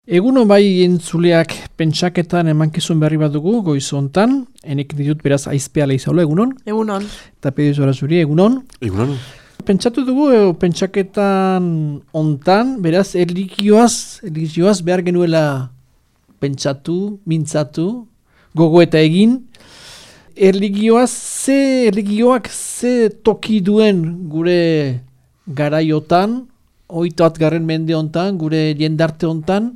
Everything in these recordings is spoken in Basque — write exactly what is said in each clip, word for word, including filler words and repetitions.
Egunon bai entzuleak pentsaketan emankizun berri bat dugu goiz hontan, enek ditut beraz aizpea leizaula, egunon? Egunon. Eta pedizu zuri, egunon? Egunon. Pentsatu dugu e, pentsaketan hontan, beraz erlijioaz, erlijioaz behar genuela pentsatu, mintzatu, gogo eta egin. Erlijioaz, ze erlijioak ze toki duen gure garaiotan, oitoat garren mende hontan, gure jendarte hontan,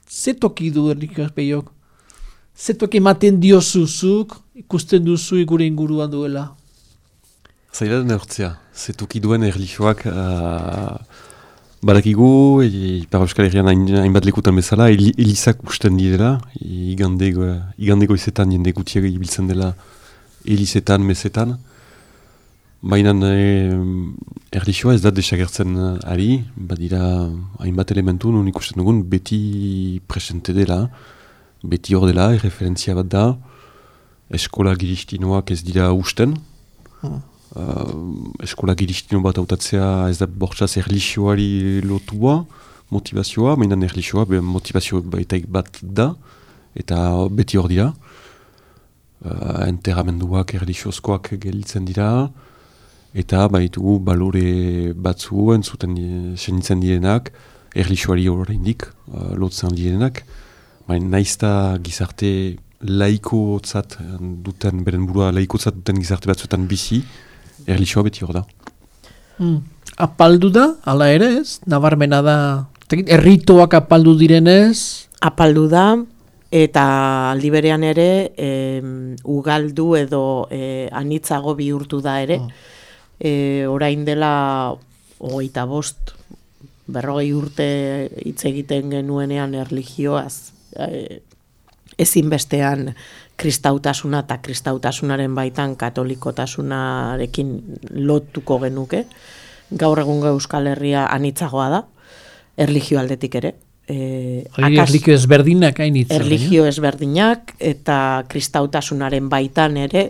ze toki du erlijioaz peiok? Ze toki ematen diozuzuk, ikusten duzu gure inguruan duela? Zaila den eurtzea, ze toki duen erlijioak uh, badakigu, Ipar Euskal Herrian hain, hainbat lekutan bezala, el, elizak usten direla, igandego, igandego izetan jende gutiak ibiltzen dela elizetan, mesetan. Baina e, erlijioa ez da desagertzen ari, badira hainbat elementu nun ikusten dugun beti presente dela, beti hor dela, erreferentzia bat da, eskola giristinoak ez dira usten, hmm. uh, eskola giristino bat hautatzea ez da bortzaz erlijioari lotua, motivazioa, baina erlijioa motivazio baitaik bat da, eta beti hor dira, uh, enterramenduak erlijiozkoak gelditzen dira, eta baitugu balore batzu entzuten senitzen direnak, erlijioari oraindik uh, lotzen direnak, baina naizta gizarte laikotzat duten, beren burua laikotzat duten gizarte batzuetan bizi, erlijioa beti hor da. Hmm. Apaldu da, ala ere ez? Nabarmena da, erritoak apaldu direnez? Apaldu da, eta aldi berean ere e, ugaldu edo e, anitzago bihurtu da ere. Hmm. E, orain dela hogeita bost, berrogei urte hitz egiten genuenean erlijioaz, e, ezinbestean kristautasuna eta kristautasunaren baitan katolikotasunarekin lotuko genuke. Gaur egun Euskal Herria anitzagoa da, erlijio aldetik ere. E, akas, erlijio ezberdinak hainitza. Erlijio ezberdinak eta kristautasunaren baitan ere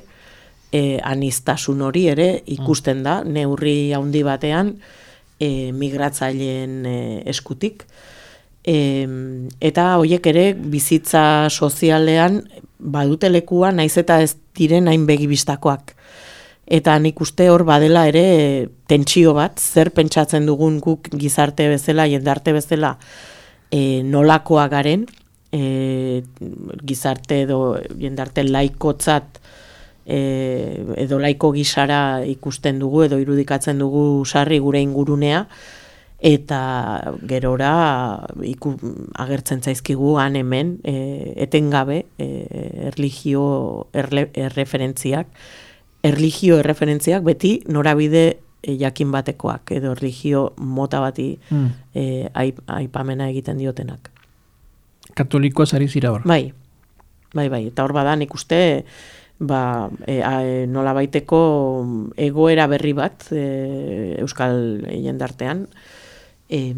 E, anistasun hori ere ikusten da, neurri handi batean e, migratzaileen e, eskutik. E, eta horiek ere bizitza sozialean badute lekua naiz eta ez diren hain begibistakoak. Eta nik uste hor badela ere tentsio bat, zer pentsatzen dugun guk gizarte bezala, jendarte bezala e, nolakoa garen, e, gizarte edo jendarte laikotzat E, edo laiko gisara ikusten dugu edo irudikatzen dugu sarri gure ingurunea eta gerora iku, agertzen zaizkigu han hemen e, etengabe e, erlijio erle, erreferentziak erlijio erreferentziak beti norabide e, jakin batekoak edo erlijio mota bati hmm. e, aip, aipamena egiten diotenak. Katolikoa zari zira hor? Bai, bai, bai, eta hor badan ikuste ba, e, e, nola baiteko egoera berri bat e, Euskal jendartean e,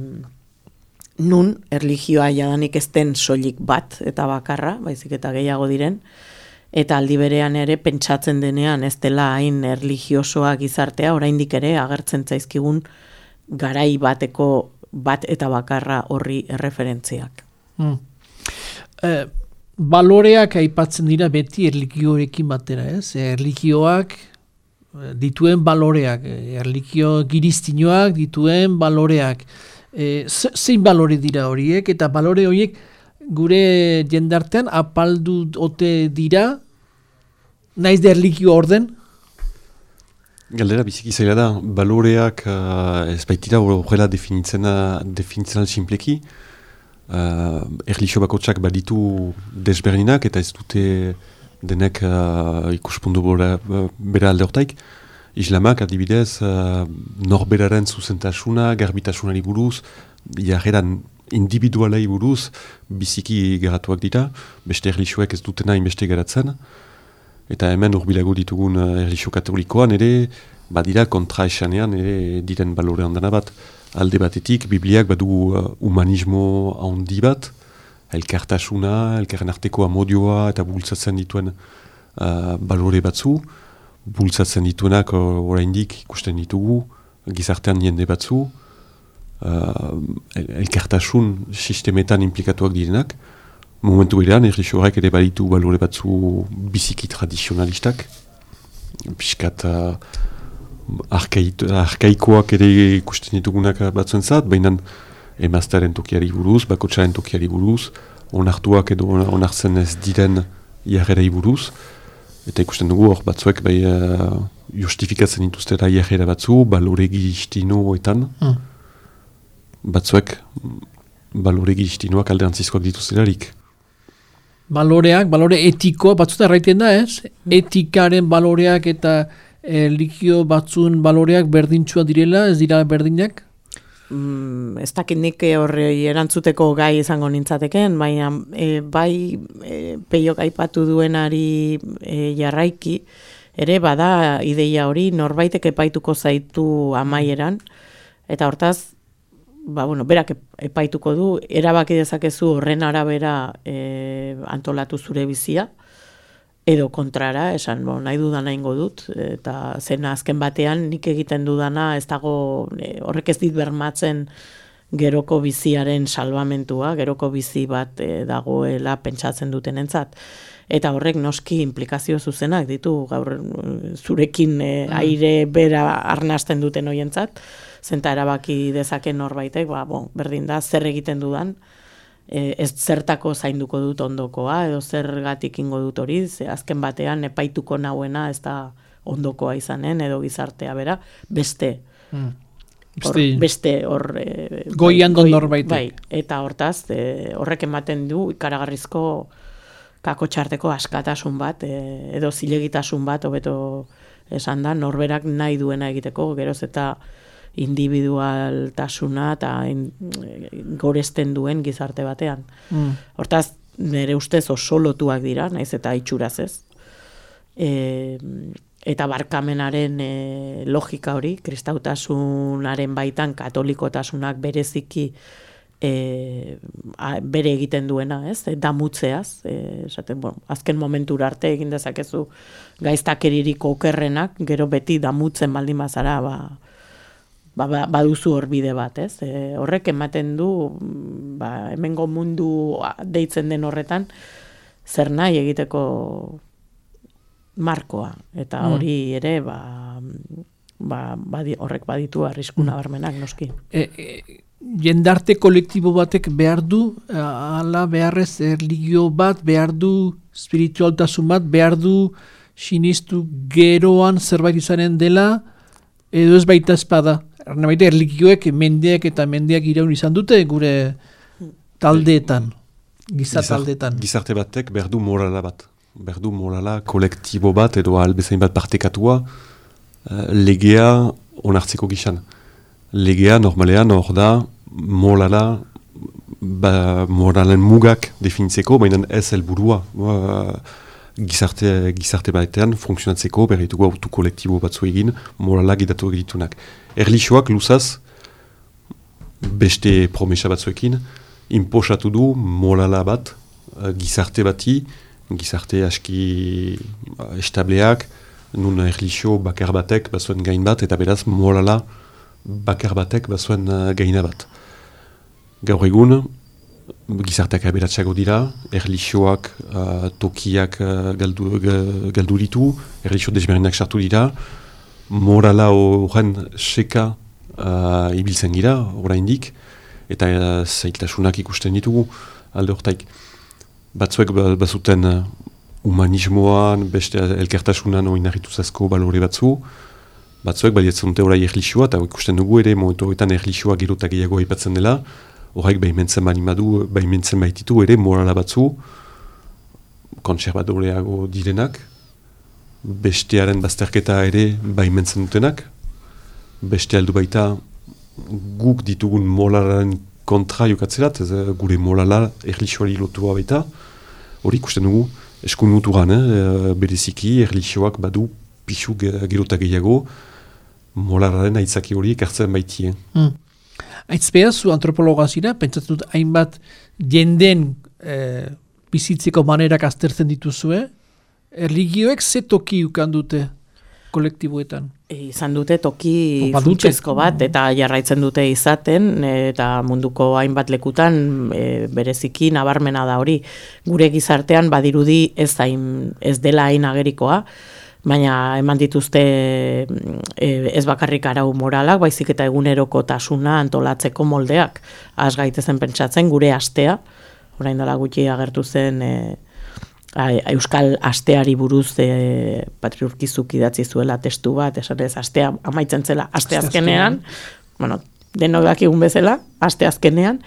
nun erlijioa jadanik ez den soilik bat eta bakarra, baizik eta gehiago diren, eta aldi berean ere pentsatzen denean ez dela hain erlijiosoa gizartea, oraindik ere agertzen zaizkigun garai bateko bat eta bakarra horri erreferentziak. Hmm. Eh, Baloreak aipatzen dira beti erlijioekin batera, ez? Erlijioak dituen baloreak, erlijio giristinoak dituen baloreak. E, zein balore dira horiek, eta balore horiek gure jendartean apaldu ote dira, naiz da erlijio orden? Galdera biziki zaila da, baloreak uh, ez baitira horrela definitzen definitzen simpleki. Uh, erlijio bakotsak baditu desberdinak eta ez dute denek uh, ikuspundu bera, bera alde hortaik. Islamak adibidez uh, norberaren zuzentasuna, garbitasunari buruz, jarreran individualei buruz biziki garatuak dira, beste erlijioek ez dutena inbeste garatzen. Eta hemen urbilago ditugun uh, erlijio katolikoan ere, badira kontra esanean ere diren balore handana bat. Alde batetik, Bibliak badu uh, humanismo handi bat, elkartasuna, elkarren arteko amodioa eta bultzatzen dituen uh, balore batzu, bultzatzen dituenak uh, oraindik ikusten ditugu, gizartean jende batzu, uh, el, elkartasun sistemetan implikatuak direnak. Momentu berean, erlijio horrek ere baditu balore batzu biziki tradizionalistak, piskat uh, arkaikoak ere ikusten ditugunak batzuen zat, baina emaztearen tokiari buruz, bakotsaren tokiari buruz, onartuak edo onartzen ez diren jarrerei buruz, eta ikusten dugu hor batzuek bai uh, justifikatzen dituztera jarrera batzu, baloregi istinoetan, mm. batzuek baloregi istinoak alderantzizkoak dituzterarik. Baloreak, balore etiko, batzuta erraiten da, ez? Etikaren baloreak eta e, likio batzun baloreak berdintxua direla, ez dira berdinak? Mm, ez dakit nik horri erantzuteko gai izango nintzateken, baina e, bai e, peiok aipatu duenari e, jarraiki, ere bada ideia hori norbaitek epaituko zaitu amaieran, eta hortaz, ba, bueno, berak epaituko du, erabaki dezakezu horren arabera e, antolatu zure bizia, edo kontrara, esan, bo, nahi dudana ingo dut, eta zena azken batean nik egiten dudana, ez dago, e, horrek ez dit bermatzen geroko biziaren salbamentua, geroko bizi bat e, dagoela pentsatzen duten entzat. Eta horrek noski implikazio zuzenak ditu, gaur zurekin e, aire bera arnasten duten hoientzat, zenta erabaki dezaken norbaitek, ba, bon, berdin da, zer egiten dudan, e, ez zertako zainduko dut ondokoa, edo zergatik ingo dut hori, ze azken batean epaituko nauena ez da ondokoa izanen, edo gizartea bera, beste. Mm. Hor, beste hor... E, goian don norbaitek. Bai, eta hortaz, e, horrek ematen du ikaragarrizko kako txarteko askatasun bat, e, edo zilegitasun bat, hobeto esan da, norberak nahi duena egiteko, geroz eta individualtasuna eta in, goresten duen gizarte batean. Mm. Hortaz, nire ustez oso lotuak dira, naiz eta itxuraz ez. E, eta barkamenaren e, logika hori, kristautasunaren baitan katolikotasunak bereziki e, a, bere egiten duena, ez? E, damutzeaz, e, esaten, bueno, azken momentura arte egin dezakezu gaiztakeririk okerrenak, gero beti damutzen baldin bazara, ba, Ba, baduzu hor bide bat, ez? E, horrek ematen du, ba, hemengo mundu deitzen den horretan, zer nahi egiteko markoa. Eta hori ere, ba, ba, badi, horrek baditu arrisku nabarmenak, noski. E, e, jendarte kolektibo batek behar du, ala beharrez erligio bat, behar du spiritualtasun bat, behar du sinistu geroan zerbait izanen dela, edo ez baita espada. Ernabaite, erlikioek mendeak eta mendeak iraun izan dute gure taldeetan, giza taldeetan. Gizarte batek berdu morala bat. Berdu morala kolektibo bat edo albezain bat partekatua uh, legea onartzeko gizan. Legea normalean hor da morala, ba, moralen mugak definitzeko, baina ez helburua. Uh, Gizarte, gizarte batean funtzionatzeko berrituko autu kolektibo batzu egin morala gidatu egitunak. Erlixoak luzaz beste promesa batzuekin inposatu du morala bat uh, gizarte bati, gizarte aski uh, estableak, nun erlixo bakar batek bazuen gain bat, eta beraz morala bakar batek bazuen uh, gaina bat. Gaur egun, gizarteak aberatxago dira, erlixoak uh, tokiak uh, galdu, galdu ditu, erlixo desberdinak sartu dira, morala horren seka uh, ibiltzen gira, oraindik, eta uh, zailtasunak ikusten ditugu alde hortaik. Batzuek bazuten uh, humanismoan, beste elkartasunan oinarrituzazko balore batzu, batzuek badietzen dute orai erlixoa, eta ikusten dugu ere, momentu horretan erlixoa gerotak gehiago aipatzen dela, horrek behimentzen banimadu, behimentzen baititu ere morala batzu, kontserbadoreago direnak, bestearen bazterketa ere behimentzen dutenak, beste aldu baita guk ditugun moralaren kontra jokatzerat, ez, gure morala erlixoari lotua baita, hori ikusten dugu eskun muturan, eh, bereziki erlixoak badu pixu gerota gehiago, moralaren aitzaki hori ekartzen baitie. Mm. Aitzpea, zu antropologa zira, pentsatzen dut hainbat jenden e, bizitzeko manerak aztertzen dituzue, erligioek ze toki ukan dute kolektiboetan? Izan dute toki Opa, dute. funtsezko bat, eta jarraitzen dute izaten, eta munduko hainbat lekutan e, bereziki nabarmena da hori. Gure gizartean badirudi ez, hain, ez dela hain agerikoa, baina eman dituzte e, ez bakarrik arau moralak, baizik eta egunerokotasuna antolatzeko moldeak. Az gaitezen pentsatzen gure astea, orain dela gutxi agertu zen e, a, Euskal asteari buruz e, Patriurkizuk idatzi zuela testu bat, esan ez astea amaitzen zela aste azkenean, bueno, denok dakigun bezala, aste azkenean,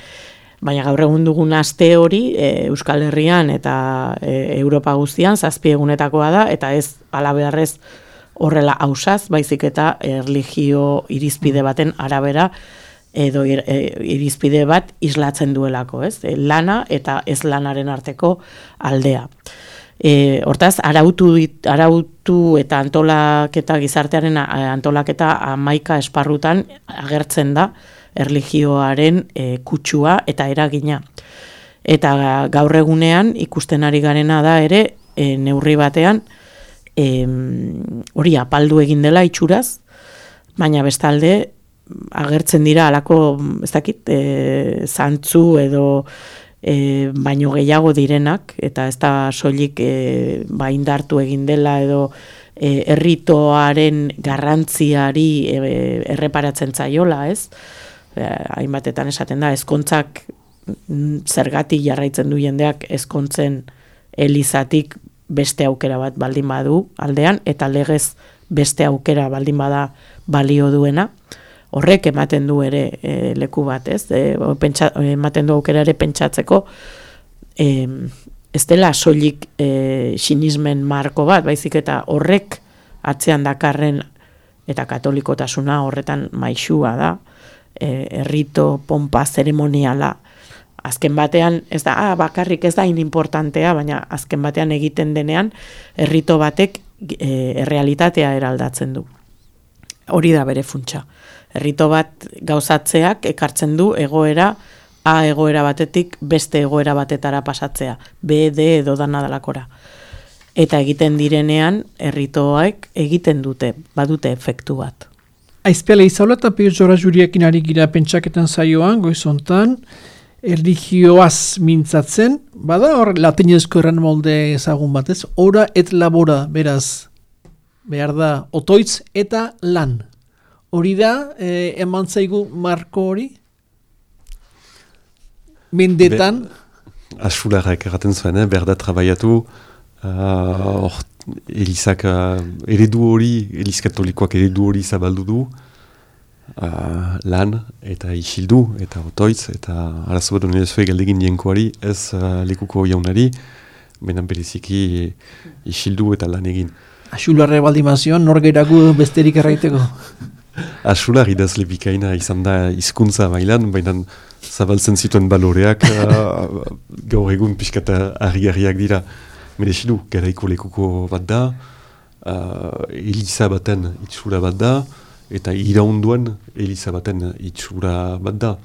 baina gaur egun dugun aste hori e, Euskal Herrian eta e, Europa guztian zazpi egunetakoa da, eta ez alabeharrez horrela ausaz, baizik eta erlijio irizpide baten arabera edo ir, e, irizpide bat islatzen duelako, ez? E, lana eta ez lanaren arteko aldea. E, hortaz, arautu, arautu eta antolaketa gizartearen antolaketa hamaika esparrutan agertzen da, erlijioaren e, kutsua eta eragina. Eta gaur egunean ikusten ari garena da ere e, neurri batean e, hori apaldu egin dela itxuraz, baina bestalde agertzen dira halako ez dakit e, zantzu edo e, baino gehiago direnak, eta ez da soilik e, ba indartu egin dela edo e, erritoaren garrantziari e, erreparatzen zaiola, ez? Hainbatetan esaten da, ezkontzak zergatik jarraitzen du jendeak ezkontzen elizatik beste aukera bat baldin badu aldean, eta legez beste aukera baldin bada balio duena, horrek ematen du ere e, leku bat, ez? E, pentsa, ematen du aukera ere pentsatzeko e, ez dela soilik e, sinismen marko bat, baizik eta horrek atzean dakarren eta katolikotasuna horretan maixua da, E, errito, pompa, zeremoniala. Azken batean, ez da, ah, bakarrik ez da inimportantea, baina azken batean egiten denean, errito batek e, errealitatea eraldatzen du. Hori da bere funtsa. Errito bat gauzatzeak ekartzen du egoera, A egoera batetik beste egoera batetara pasatzea. B, D edo dana dalakora. Eta egiten direnean, erritoak egiten dute, badute efektu bat. Aizpela izaula eta Jora Juriekin ari gira pentsaketan zaioan, goizontan, erlijioaz mintzatzen, bada hor latinezko erran molde ezagun batez, ora et labora, beraz, behar da, otoitz eta lan. Hori da, eh, eman zaigu marko hori? Mendetan? Asularrak erraten zuen, eh? Behar da trabaiatu, uh, or, Elizak uh, eredu hori, Eliz katolikoak eredu hori zabaldu du, uh, lan eta isildu eta otoitz, eta arazo bat honen ezue galdegin dienkoari, ez uh, lekuko jaunari, benan bereziki isildu eta lan egin. Asularre baldimazion, nor gehiago besterik erraiteko? Asular idazle bikaina izan da hizkuntza mailan, baina zabaltzen zituen baloreak uh, gaur egun pixkata harri-harriak dira. Merezidu, garaiko lekuko bat da, uh, Eliza baten itxura bat da, eta iraunduan Eliza baten itxura bat da.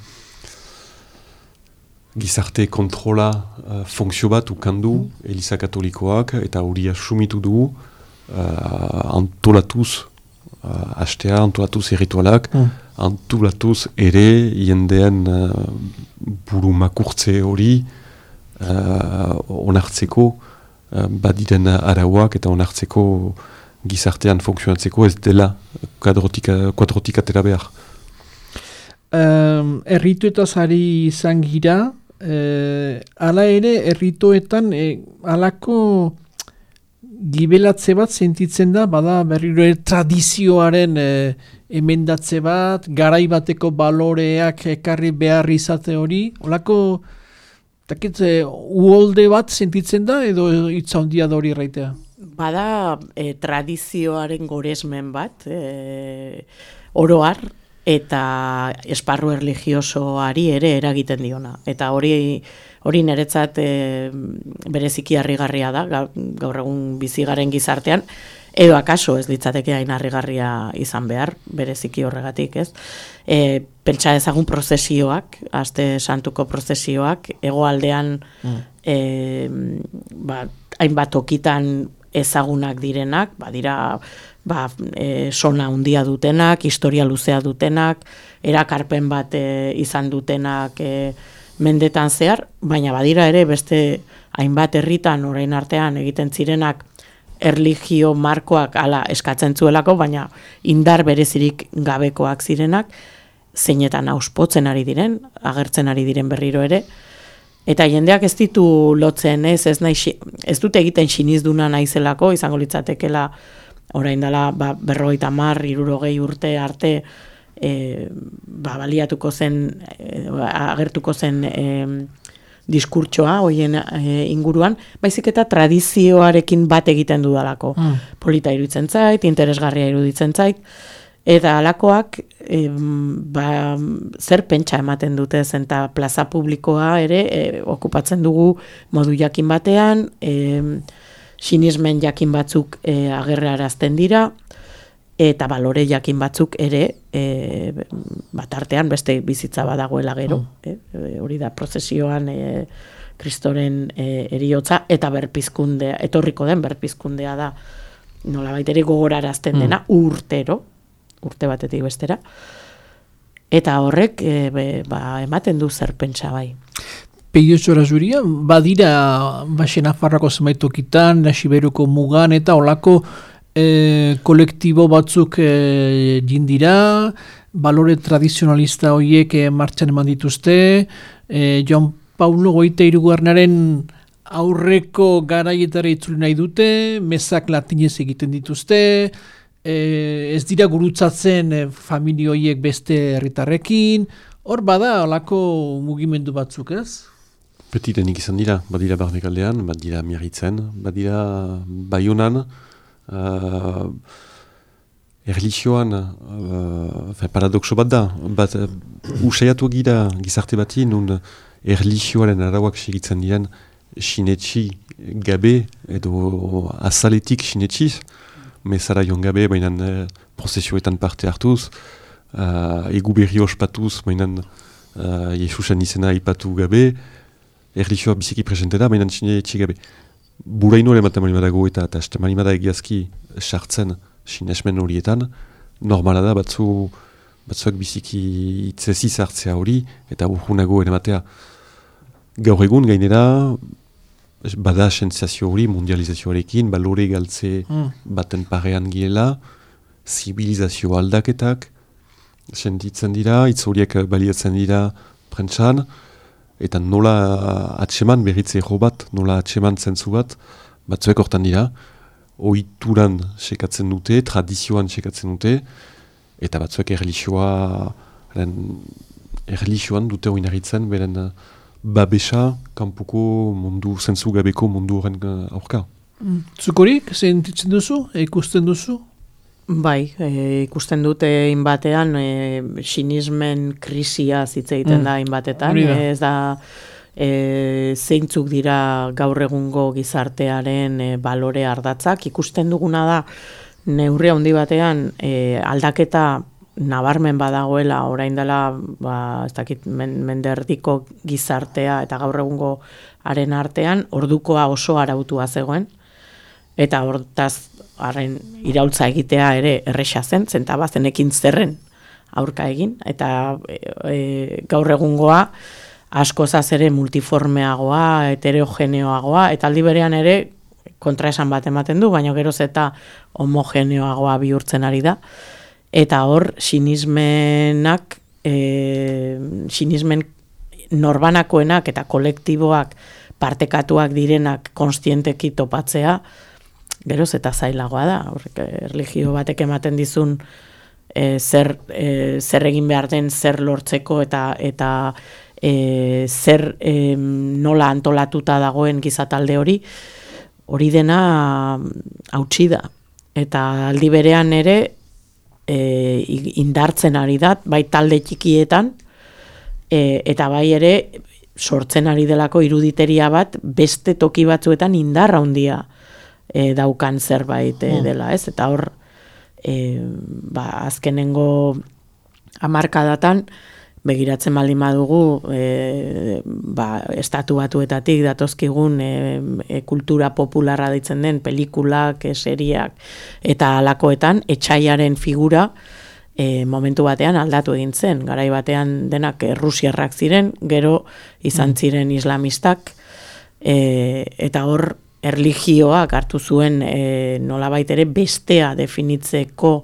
Gizarte kontrola uh, funksio bat ukandu mm. Eliza katolikoak, eta hori asumitu du uh, antolatuz, uh, hastea antolatuz erritualak, mm. antolatuz ere jendean uh, buru makurtze hori uh, onartzeko, badiren arauak eta onartzeko gizartean funtzionatzeko ez dela kuadrotik atera behar. Um, errituetaz ari izan gira, eh, ala ere errituetan eh, alako gibelatze bat sentitzen da, bada berriro ere tradizioaren eh, emendatze bat, garai bateko baloreak ekarri behar izate hori, olako Takit, uholde bat sentitzen da edo hitza handia da hori erraitea? Bada e, tradizioaren goresmen bat, e, oroar, eta esparru erlijiosoari ere eragiten diona. Eta hori hori niretzat e, bereziki harrigarria da, gaur egun bizigaren gizartean, edo akaso ez litzateke hain harrigarria izan behar, bereziki horregatik, ez? E, pentsa ezagun prozesioak, aste santuko prozesioak, hegoaldean mm. e, ba, hainbat tokitan ezagunak direnak, badira ba, e, sona handia dutenak, historia luzea dutenak, erakarpen bat e, izan dutenak e, mendetan zehar, baina badira ere beste hainbat herritan orain artean egiten zirenak erlijio markoak ala eskatzen zuelako, baina indar berezirik gabekoak zirenak, zeinetan auspotzen ari diren, agertzen ari diren berriro ere, eta jendeak ez ditu lotzen, ez, ez, nahi, ez dute egiten sinizduna naizelako, izango litzatekela orain dela ba, berrogeita hamar, hirurogei urte arte e, ba, baliatuko zen, e, agertuko zen e, diskurtsoa hoien e, inguruan, baizik eta tradizioarekin bat egiten dudalako. Mm. Polita iruditzen zait, interesgarria iruditzen zait, eta alakoak e, ba, zer pentsa ematen dute zen, eta plaza publikoa ere e, okupatzen dugu modu jakin batean, e, sinismen jakin batzuk e, agerrarazten dira, eta balore jakin batzuk ere e, bat artean beste bizitza badagoela gero, mm. e, hori da prozesioan e, Kristoren e, eriotza, eta berpizkundea, etorriko den berpizkundea da, nolabait ere gogorarazten dena, mm. urtero, urte batetik bestera, eta horrek e, be, ba, ematen du zer pentsa bai. Peio Txorazuria, badira Baxe Nafarrako zenbait tokitan, Nasiberuko mugan eta olako e, kolektibo batzuk e, jindira, balore tradizionalista horiek e, martxan eman dituzte, e, Joan Paulo goita hirugarrenaren aurreko garaietara itzuli nahi dute, mezak latinez egiten dituzte, e, ez dira gurutzatzen e, familia horiek beste herritarrekin, hor bada olako mugimendu batzuk, ez? Petitenik izan dira, badira Barnekaldean, badira Miarritzen, badira Baionan, uh, erlijioan, uh, paradoxo bat da, bat uh, usaiatu gira gizarte bati, nun erlijioaren arauak segitzen diren sinetxi gabe, edo azaletik sinetxiz, mezara joan gabe, bainan uh, prozesioetan parte hartuz, uh, egu berri ospatuz, bainan uh, Jesusen izena ipatu gabe, erlijioa biziki presente da, baina sinetxi gabe. Buraino ere maten manimadago eta eta este manimada egiazki sartzen sinesmen horietan, normala da batzu, batzuak biziki itzezi zartzea hori, eta urgunago ere matea. Gaur egun gainera, bada sentsazio hori mundializazioarekin, balore galtze mm. baten parean giela, zibilizazio aldaketak, sentitzen dira, hitz horiek baliatzen dira prentsan, eta nola atseman berritze ero bat, nola atseman zentzu bat, batzuek hortan dira, ohituran sekatzen dute, tradizioan sekatzen dute, eta batzuek erlijioa, erlijioan dute oinarritzen, beren babesa, kanpuko mundu, zentzu gabeko mundu horren aurka. Mm. Zukorik, sentitzen duzu, ikusten duzu? Bai, e, ikusten dute inbatean e, sinismen krisia hitz egiten mm. da inbatetan, da. ez da e, zeintzuk dira gaur egungo gizartearen e, balore ardatzak, ikusten duguna da neurri handi batean e, aldaketa nabarmen badagoela orain dela, ba, ez dakit men, menderdiko gizartea eta gaur egungo haren artean ordukoa oso arautua zegoen, eta hortaz haren iraultza egitea ere erresa zen, zentaba zenekin zerren aurka egin, eta e, e, gaur egungoa askozaz ere multiformeagoa, heterogeneoagoa, eta aldi berean ere kontraesan bat ematen du, baina geroz eta homogeneoagoa bihurtzen ari da, eta hor sinismenak, e, sinismen norbanakoenak eta kolektiboak partekatuak direnak konstienteki topatzea, geroz eta zailagoa da, horrek erlijio batek ematen dizun e, zer, e, zer egin behar den, zer lortzeko eta eta e, zer e, nola antolatuta dagoen gizatalde hori, hori dena hautsi da. Eta aldi berean ere e, indartzen ari da, bai talde txikietan, e, eta bai ere sortzen ari delako iruditeria bat beste toki batzuetan indarra handia E, daukan zerbait e, dela, ez? Eta hor, e, ba, azkenengo hamarkadatan, begiratzen baldin badugu, e, ba, estatu batuetatik datozkigun e, e, kultura popularra ditzen den pelikulak, e, seriak eta alakoetan etxaiaren figura e, momentu batean aldatu egin zen. Garai batean denak errusiarrak ziren, gero izan ziren islamistak, e, eta hor erlijioak hartu zuen e, nolabait ere bestea definitzeko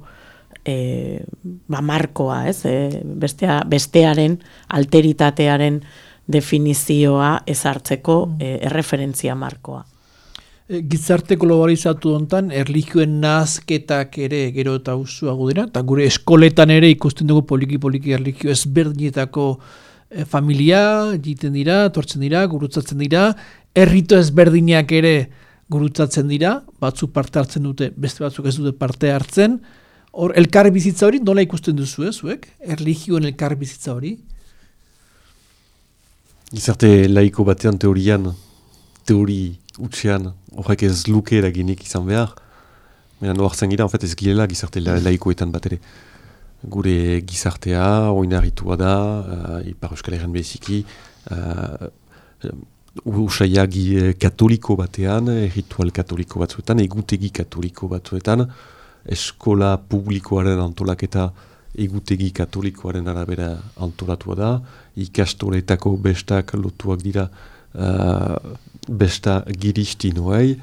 E, ba markoa, ez? E, bestea, bestearen alteritatearen definizioa ezartzeko e, erreferentzia markoa. E, gizarte globalizatu hontan erlijioen nahazketak ere gero eta usuago dira, eta gure eskoletan ere ikusten dugu poliki-poliki erlijio ezberdinetako e, familia egiten dira, tortzen dira, gurutzatzen dira, errito ezberdinak ere gurutzatzen dira, batzuk parte hartzen dute, beste batzuk ez dute parte hartzen. Hor, elkar bizitza hori nola ikusten duzu, eh, zuek? Erlijioen elkar bizitza hori? Gizarte laiko batean teorian, teori utxean, horrek ez luke eraginik izan behar. Baina noartzen gira, en fait, ez girela gizarte la, laikoetan bat ere. Gure gizartea, oinarritua da, uh, Ipar Euskal Herrian beziki, uh, usaia katoliko batean, ritual katoliko batzuetan, egutegi katoliko batzuetan, eskola publikoaren antolaketa egutegi katolikoaren arabera antolatua da, ikastoletako bestak lotuak dira uh, besta giristinoei,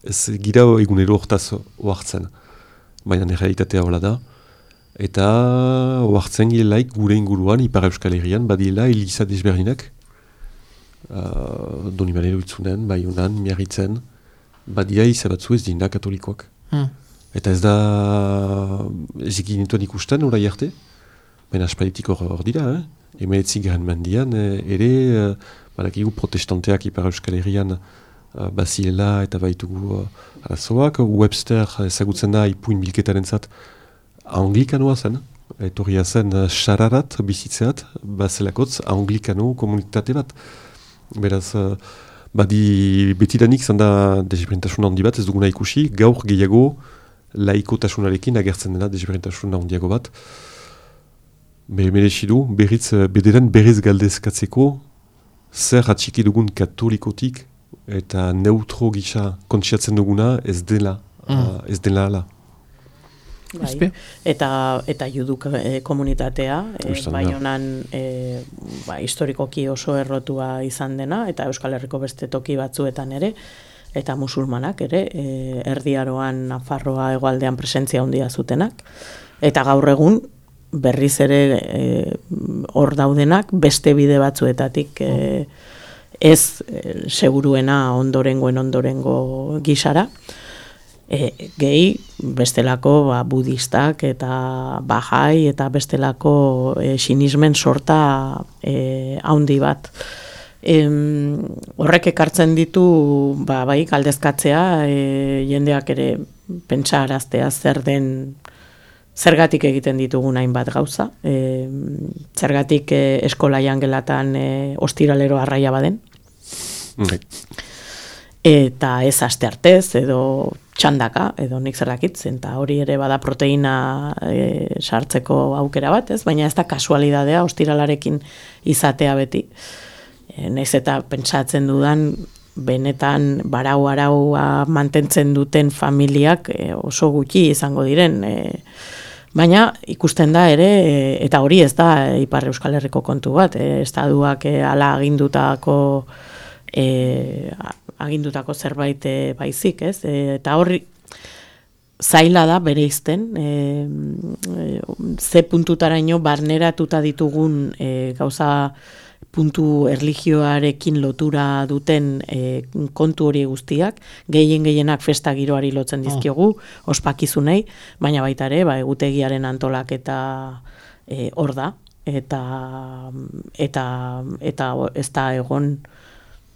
ez gira egunero hortaz oartzen, baina errealitatea hola da, eta oartzen girelaik gure inguruan, Ipar Euskal Herrian, badiela eliza desberdinak, uh, Donibanero itzunen, Baionan, Miarritzen, badia izabatzu ez dina katolikoak. Hmm. Eta ez da ez ikinituan ikusten orai arte, baina aspalitik hor dira, eh? Emeetzi garen mendian, eh, ere eh, badakigu protestanteak Ipar Euskal Herrian eh, baziela eta baitugu uh, arazoak. Webster ezagutzen da ipuin bilketaren zat anglikanoa zen, etorria zen uh, xararat bizitzeat, bazelakotz anglikano komunitate bat. Beraz, uh, badi betidanik zanda desberintasun handi bat, ez duguna ikusi, gaur gehiago laikotasunarekin agertzen dena desberintasun handiago bat. Be, merezidu, berriz, bederen berriz galdezkatzeko, zer atxiki dugun katolikotik eta neutro gisa kontsiatzen duguna ez dela, mm. uh, ez dela ala. Bai. Eta, eta juduk e, komunitatea, e, Baionan e, ba, historikoki oso errotua izan dena, eta Euskal Herriko beste toki batzuetan ere, eta musulmanak ere, e, Erdiaroan, Nafarroa, hegoaldean presentzia handia zutenak, eta gaur egun berriz ere hor e, daudenak beste bide batzuetatik e, ez e, seguruena ondorengoen ondorengo gisara, E, gehi bestelako ba, budistak eta bahai eta bestelako e, sinismen sorta e, haundi bat. E, horrek ekartzen ditu ba, bai galdezkatzea, e, jendeak ere pentsaraztea zer den, zergatik egiten ditugun hainbat gauza, e, zergatik e, eskola jangelatan e, ostiralero arraia baden. Okay. Eta ez aste artez, edo txandaka, edo nik zerrakit, eta hori ere bada proteina e, sartzeko aukera bat, ez? Baina ez da kasualidadea ostiralarekin izatea beti. E, naiz eta pentsatzen dudan, benetan barau-araua mantentzen duten familiak e, oso gutxi izango diren. E, baina ikusten da ere, e, eta hori ez da Ipar Euskal Herriko kontu bat, e, estaduak e, ala agindutako e, agindutako zerbait e, baizik, ez? E, eta horri zaila da bereizten, e, e, ze puntutaraino barneratuta ditugun e, gauza puntu erlijioarekin lotura duten e, kontu hori guztiak, gehien gehienak festa giroari lotzen dizkiogu, oh. ospakizunei, baina baita ere, ba, egutegiaren antolaketa e, hor da, eta, eta, eta ez da egon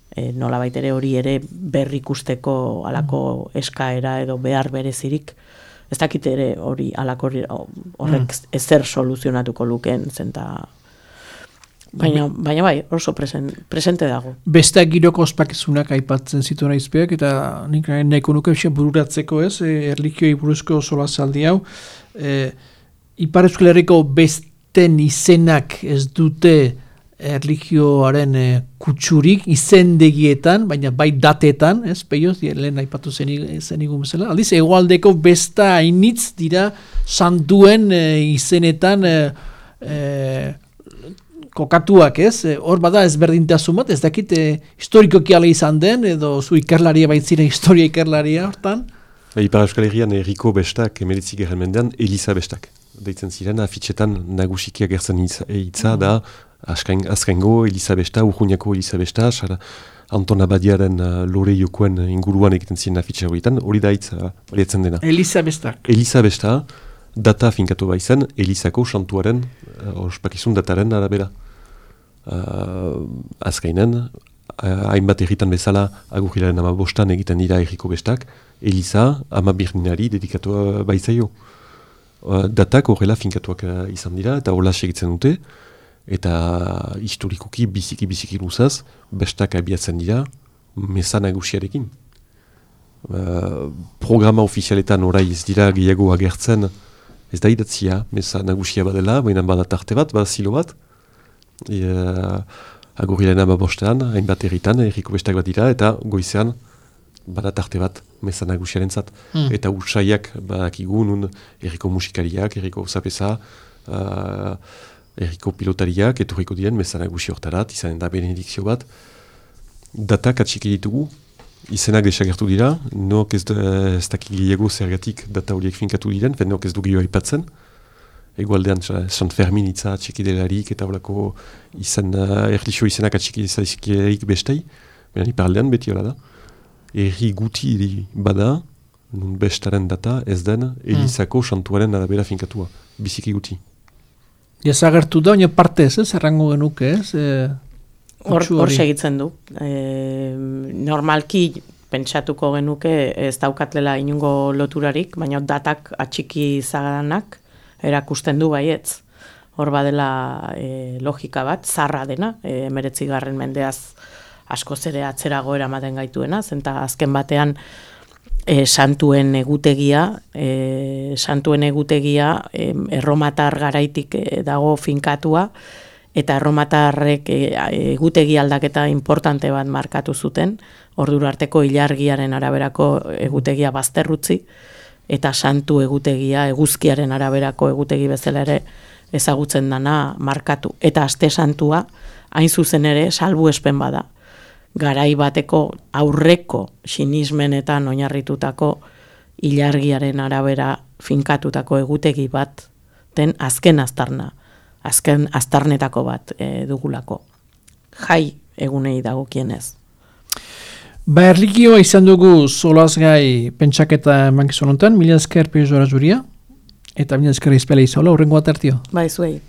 E, nola baitere hori ere berrikusteko alako eskaera edo behar berezirik. Ez dakit ere hori alako horrek mm. ezer soluzionatuko lukeen zenta. Baina, baina bai, oso presen, presente dago. Besteak giroko ospakizunak aipatzen zituen aizpeak, eta nik nahiko nuke bururatzeko ez, e, erlikioi buruzko sola zaldi hau. E, Ipar Euskal Herriko beste ten izenak ez dute erlijioaren e, kutsurik izendegietan, baina bai datetan, ez, peioz, lehen aipatu zenigun bezala. Aldiz, hegoaldeko besta hainitz dira santuen e, izenetan e, e, kokatuak, ez? Hor bada ezberdintasun bat, ez dakit e, historikoki ala izan den, edo zu ikerlaria baitzira historia ikerlaria hortan? Ipar Euskal Herrian erriko bestak, emeretzi gerren mendean, Eliza bestak. Deitzen ziren, afitxetan nagusiki agertzen hitza da, Azkain, azkaingo Elizabesta, Urruñako Elizabesta, Anton Abadiaren uh, lore jokoen inguruan egiten ziren afitxe horietan, hori da hitz horietzen dena. Elizabestak. Elizabesta, data finkatu baizen, Elizako santuaren, uh, ospakizun dataren arabera. Uh, azkainen, uh, hainbat erritan bezala, agurrilaren ama bostan egiten dira erriko bestak, Eliza ama birninari dedikatu baizaio. Uh, datak horrela finkatuak uh, izan dira, eta hola segitzen dute, eta historikoki biziki-biziki luzaz, bestak abiatzen dira, meza nagusiarekin. Uh, programa ofizialetan orai ez dira gehiago agertzen, ez da idatzia, meza nagusia badela, baina bada tarte bat, bada zilo bat. E, uh, Agurrilen ama bostean, hainbat erritan, erriko bestak bat dira, eta goizean bada tarte bat, meza nagusiaren zat. Mm. Eta usaiak badakigu nun erriko musikariak, erriko zapesa, uh, erriko pilotariak, etorriko diren, meza nagusi hortarat, izanen da benedikzio bat. Datak atxiki ditugu, izenak desagertu dira, nok ez, ez dakik gehiago zergatik data horiek finkatu diren, fen nok ez du gehiago aipatzen. Egualdean, Sant Fermin itza atxiki delarik, eta horako izan, uh, erlixo izenak atxiki delarik bestei, baina iparaldean beti hola da. Erri guti bada, nun bestaren data ez den, Elizako santuaren arabera finkatua, biziki guti. Jazagertu da, baina partez, ez, errango genuke, ez? Hor e, segitzen du. E, normalki pentsatuko genuke ez daukatlela inungo loturarik, baina datak atxiki zaganak erakusten du baietz. Hor badela e, logika bat, zarra dena, e, emeretzi garren mendeaz askoz ere atzerago eramaten gaituena, zenta azken batean E, santuen egutegia, e, santuen egutegia e, erromatar garaitik e, dago finkatua, eta erromatarrek e, egutegi aldaketa importante bat markatu zuten, ordura arteko ilargiaren araberako egutegia bazterrutzi, eta santu egutegia, eguzkiaren araberako egutegi bezala ere ezagutzen dana markatu. Eta aste santua, hain zuzen ere, salbuespen bada. Garai bateko aurreko sinismenetan oinarritutako ilargiaren arabera finkatutako egutegi bat den azken aztarna, azken aztarnetako bat e, dugulako. Jai egunei dagokienez. Ba, erlikioa izan dugu solazgai pentsaketa mankizun honetan, mila esker Pio Zora Zuria, eta mila esker izpela izola, horrengo atertio. Ba, izuei.